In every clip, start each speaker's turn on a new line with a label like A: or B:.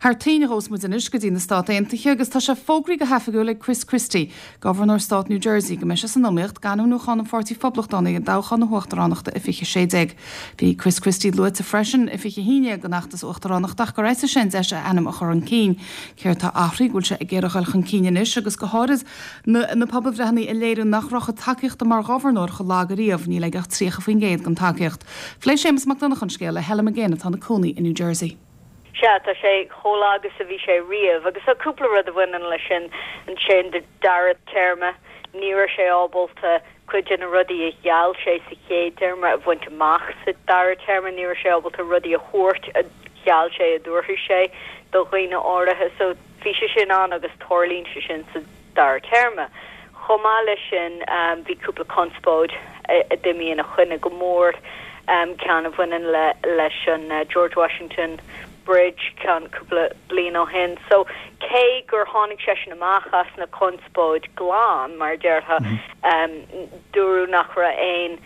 A: Thar toinn a ghabhfas muid anois go dtí na Stát Aontaithe agus tá sé fógraithe go hoifigiúil ag Chris Christie, Gobharnóir Stát New Jersey, go mbeidh sé san iomaíocht d'ainmniúchán an Pháirtí Phoblachtánaigh i dtoghchán na huachtaránachta i 2016. Bhí Chris Christie luaite freisin i 2011 don fheachtas uachtaránachta ach gur eisigh sé an deis a ainm a chur chun cinn. Céard tá athraithe go bhfuil sé ag iarraidh a dhul chun cinn anois agus go háirid na pobalbhreitheanna ag léiriú nach raibh a chuid tacaíochta mar ghobharnóir chomh lag ariamh, níl aige ach 30% den tacaíocht. Phléigh Séamus Mac Donncha an scéal le Helen McGinn atá ina cónaí i New Jersey.
B: Sea, tá sé chomh lag is a bhí sé riamh. Agus tá cúpla rud a bhaineann leis sin. Sé an dara téarma, ní raibh sé ábalta cuid de na rudaí a gheall sé sa chéad téarma a bhaint amach sa dara téarma. Ní raibh sé ábalta rudaí a thabhairt a gheall sé a dtabharfadh sé do dhaoine áirithe. So bhí sé sin ann agus tarlaíonn sé sin sa dara téarma. Chomh maith leis sin, bhí cúpla conspóid a d'imigh ina choinne go mór, ceann a bhaineann le leis an George Washington Bridge ceann cúpla bliain ó shin. So, cé gur tháinig seisean amach as na conspóid glan, mar a déarfá, dúradh nach raibh aon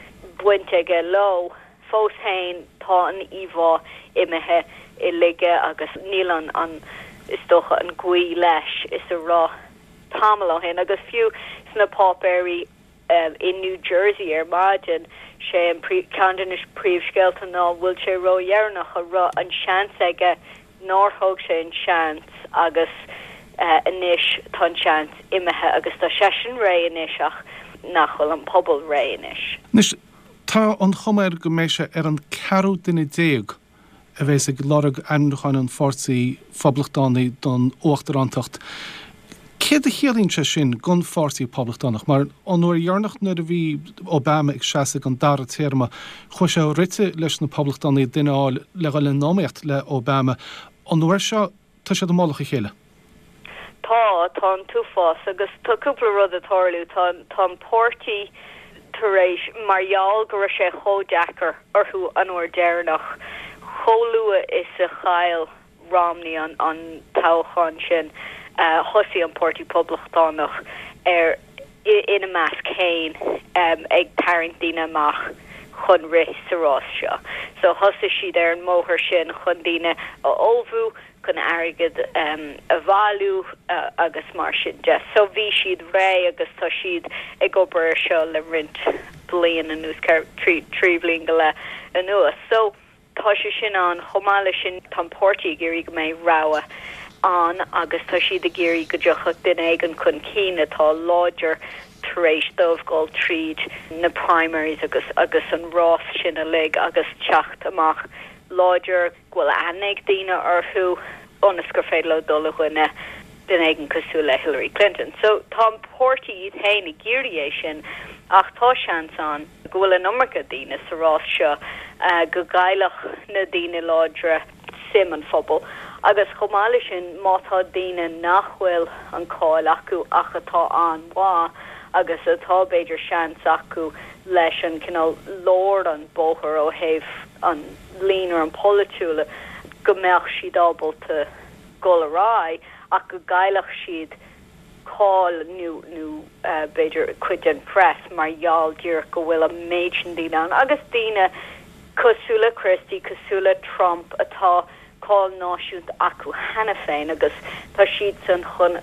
B: bhaint aige leo, Fós féin, tá an íomhá imithe i laige agus níl an, an, is dócha, an gaoth leis is a raibh tamall ó shin. Agus fiú sna páipéirí i New Jersey ar maidin, sé an ceann de na príomhscéalta ná bhfuil sé ródheireanach, a raibh an seans aige nár thóg sé an seans agus anois tá an seans imithe agus tá seisean réidh anois ach nach bhfuil an pobal réidh anois.
C: Anois, tá an chuma air go mbeidh sé ar an ceathrú duine a bheas ag lorg ainmniúcháin an Pháirtí Phoblachtánaigh don uachtarántacht. Céard a chiallaíonn sé sin don Pháirtí Poblachtánach? Mar an uair dheireanach nuair a bhí Obama ag seasamh don dara téarma, chuaigh sé rite leis na Poblachtánaigh duine a fháil le dhul in iomaíocht le Obama. An uair seo, tá siad i mullach a chéile.
B: Tá, tá an t-uafás agus tá cúpla rud ag tarlú. Tá, tá an páirtí tar éis, mar gheall go raibh sé chomh deacair orthu an uair deireanach, chomh luath is a chaill Romney an, an toghchán sin, thosaigh an Páirtí Poblachtánach ar, ina measc féin, ag tarraingt daoine amach chun rith sa rás seo. So thosaigh siad ar an mbóthar sin chun daoine a ullmhú, chun airgead a bhailiú agus mar sin de. So bhí siad réidh agus tá siad ag obair ar seo le roinnt bliain anuas, 3 bhliain go leith anuas. So tá sé sin ann. Chomh maith leis sin tá an páirtí ag iarraidh go mbeidh rogha ann agus tá siad ag iarraidh go dtiocfadh duine éigin chun cinn atá láidir tar éis dóibh dul tríd na primaries agus agus an rás sin uilig agus teacht amach láidir. go bhfuil aithne ag daoine orthu ionas gur féidir leo dul i gcoinne duine éigin cosúil le Hillary Clinton. So tá an páirtí iad féin ag iarraidh é sin ach tá seans ann go bhfuil an iomarca daoine sa rás seo, go gcaillfeadh na daoine láidre suim an phobail agus chomh maith leis sin má tá daoine nach bhfuil an cáil acu ach atá an-mhaith agus atá b'fhéidir seans acu leis an cineál lár an bóthar ó thaobh an líonra an polaitiúla go mbeadh siad ábalta dul ar aghaidh ach go gcaillfeadh siad cáil nó nó b'fhéidir cuid den phress mar gheall díreach go bhfuil an méid sin daoine ann agus daoine cosúil le Christie, cosúil le Trump atá cáil náisiúnta acu cheana féin agus tá siadsan chun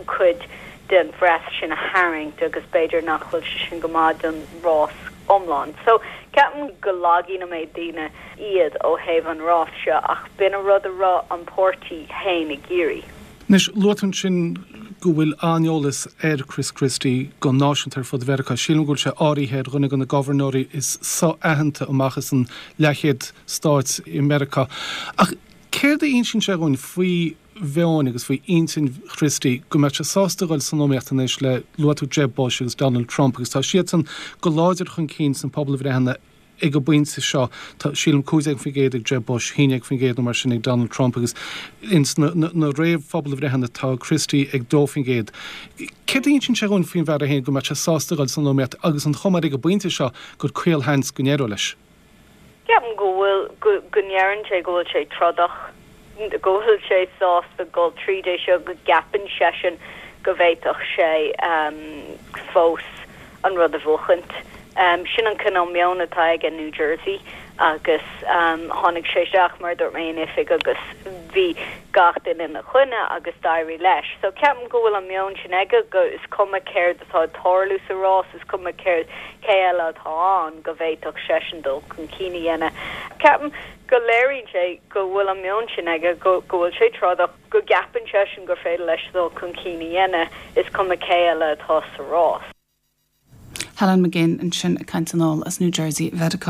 B: cuid den phress sin a tharraingt agus b'fhéidir nach bhfuil sé sin go maith don rás iomlán. So, ceapaim go lagaíonn an méid daoine iad ó thaobh an rás seo ach b'in an rud a raibh an páirtí féin ag iarraidh.
C: Anois, luaigh tú ansin go bhfuil an-eolas ar Chris Christie go náisiúnta ar fud Mheiriceá. Sílim go bhfuil sé áirithe ar dhuine de na gobharnóirí is so-aitheanta amach as an leathchéad stáit i Meiriceá. Ach céard a insíonn sé dhúinn faoi mheon agus faoi intinn Christie go mbeadh sé sásta a dhul san iomaíocht anois le, luaigh tú Jeb Bush agus Donald Trump agus tá siadsan go láidir chun cinn sna pobalbhreitheanna ag an bpointe seo. Tá, sílim, 15% ag Jeb Bush, 11% nó mar sin ag Donald Trump agus ins na réamh-phobalbhreitheanna tá Christie ag 2%. Céard a insíonn sé dhúinn faoin bhfear é féin go mbeadh sé sásta a dhul san iomaíocht agus an chuma air ag an bpointe seo gur caolsheans go n-éireodh leis?
B: Ceapaim go bhfuil, go, go ndeireann sé go bhfuil sé trodach, go bhfuil sé sásta dul tríd é seo, go gceapann seisean go bhféadfadh sé fós an rud a bhuachaint. Sin an cineál meon atá aige in New Jersey. Agus tháinig sé isteach, mar a dúirt mé, in oifig agus bhí gach duine ina choinne agus d'éirigh leis. So ceapaim go bhfuil an meon sin aige go is cuma céard atá ag tarlú sa rás, is cuma céard, cé eile atá ann, go bhféadfadh seisean dul chun cinn a dhéanamh. Ceapaim go léiríonn sé go bhfuil an meon sin aige, go go bhfuil sé trodach, go gceapann seisean gur féidir leis dul chun cinn a dhéanamh, is cuma cé eile atá sa rás.
A: Helen McGinn ansin ag caint anall as New Jersey, Mheiriceá.